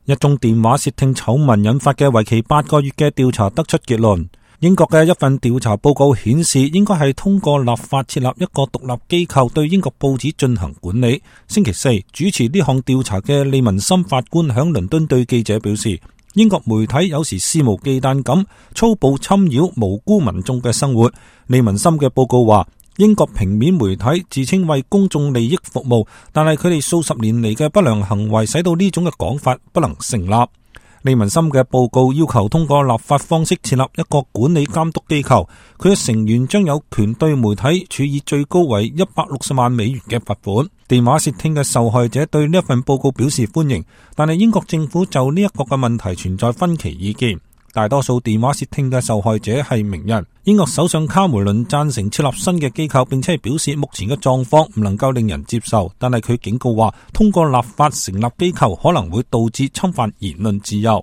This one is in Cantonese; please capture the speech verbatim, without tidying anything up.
一宗電話竊聽醜聞引發嘅為期八個月嘅調查得出結論。英國嘅一份調查報告顯示，應該係通過立法設立一個獨立機構對英國報紙進行管理。星期四主持呢項調查嘅利文森法官響倫敦對記者表示，英國媒體有時肆無忌憚咁粗暴侵擾無辜民眾嘅生活。利文森嘅報告話，英國平面媒體自稱為公眾利益服務，但係佢哋數十年嚟嘅不良行為使到呢種嘅講法不能成立。利文森嘅報告要求通過立法方式設立一個管理監督機構，佢嘅成員將有權對媒體處以最高為一百六十萬美元嘅罰款。電話竊聽嘅受害者對呢一份報告表示歡迎，但係英國政府就呢一個嘅問題存在分歧意見。大多數電話竊聽嘅受害者係名人。英國首相卡梅倫贊成設立新嘅機構，並且係表示目前嘅狀況唔能夠令人接受，但係佢警告話，通過立法成立機構可能會導致侵犯言論自由。